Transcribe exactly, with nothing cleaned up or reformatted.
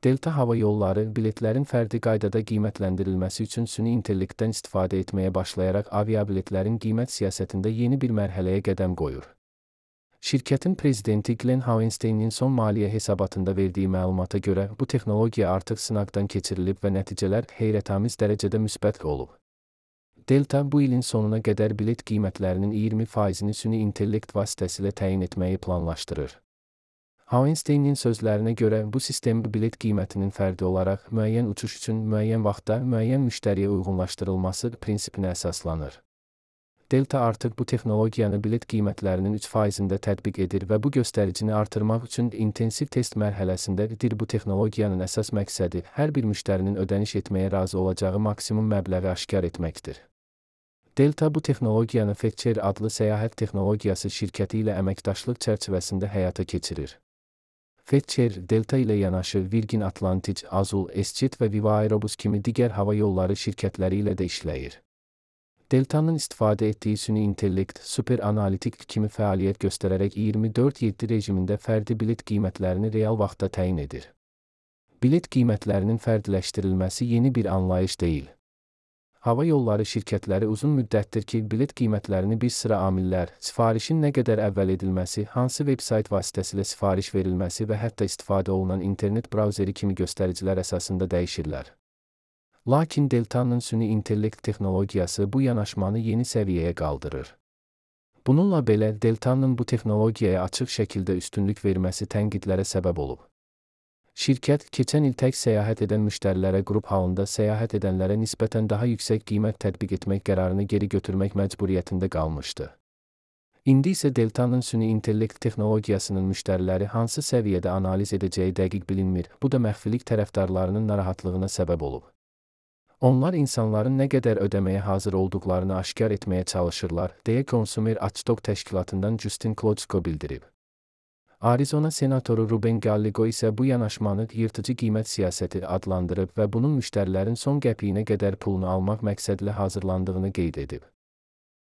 Delta Hava Yolları, biletlərin fərdi qaydada qiymətləndirilməsi üçün süni intellektdən istifadə etməyə başlayaraq aviabiletlərin qiymət siyasətində yeni bir mərhələyə qədəm qoyur. Şirkətin prezidenti Glenn Hauenstein'in son maliyyə hesabatında verdiyi məlumata görə, bu texnologiya artıq sınaqdan keçirilib və nəticələr heyrətamiz dərəcədə müsbət olub. Delta bu ilin sonuna qədər bilet qiymətlərinin iyirmi faizini süni intellekt vasitəsilə təyin etməyi planlaşdırır. Hauenstein'in sözlərinə görə, bu sistem bilet qiymətinin fərdi olaraq müəyyən uçuş üçün müəyyən vaxtda müəyyən müştəriyə uyğunlaşdırılması prinsipinə əsaslanır. Delta artıq bu texnologiyanı bilet qiymətlərinin üç faizində tətbiq edir və bu göstəricini artırmaq üçün intensiv test mərhələsindədir. Bu texnologiyanın əsas məqsədi hər bir müştərinin ödəniş etməyə razı olacağı maksimum məbləği aşkar etməkdir. Delta bu texnologiyanı Fetcher adlı səyahət texnologiyası şirkəti ilə əməkdaşlıq çərçivəsində həyata keçirir. Fetcher, Delta ilə yanaşı Virgin Atlantic, Azul, EasyJet və Viva Aerobus kimi digər hava yolları şirkətləri ilə də işləyir. Delta'nın istifadə etdiyi süni intellekt, super analitik kimi fəaliyyət göstərərək iyirmi dörd yeddi rejimində fərdi bilet qiymətlərini real vaxtda təyin edir. Bilet qiymətlərinin fərdiləşdirilməsi yeni bir anlayış deyil. Hava yolları şirkətləri uzun müddətdir ki, bilet qiymətlərini bir sıra amillər, sifarişin nə qədər əvvəl edilməsi, hansı veb-sayt vasitəsilə sifariş verilməsi və hətta istifadə olunan internet brauzeri kimi göstəricilər əsasında dəyişirlər. Lakin Delta'nın süni intellekt texnologiyası bu yanaşmanı yeni səviyyəyə qaldırır. Bununla belə, Delta'nın bu texnologiyaya açıq şəkildə üstünlük verməsi tənqidlərə səbəb olub. Şirkət, keçən il tək səyahət edən müştərilərə qrup halında səyahət edənlərə nisbətən daha yüksək qiymət tətbiq etmək qərarını geri götürmək məcburiyyətində qalmışdı. İndi isə Delta'nın süni intellekt texnologiyasının müştəriləri hansı səviyyədə analiz edəcəyi dəqiq bilinmir, bu da məxfilik tərəfdarlarının narahatlığına səbəb olub. Onlar insanların nə qədər ödəməyə hazır olduqlarını aşkar etməyə çalışırlar, deyə Consumer Watchdog təşkilatından Justin Klocko bildirib. Arizona senatoru Ruben Gallego isə bu yanaşmanı yırtıcı qiymət siyasəti adlandırıb və bunun müştərilərin son qəpiyinə qədər pulunu almaq məqsədilə hazırlandığını qeyd edib.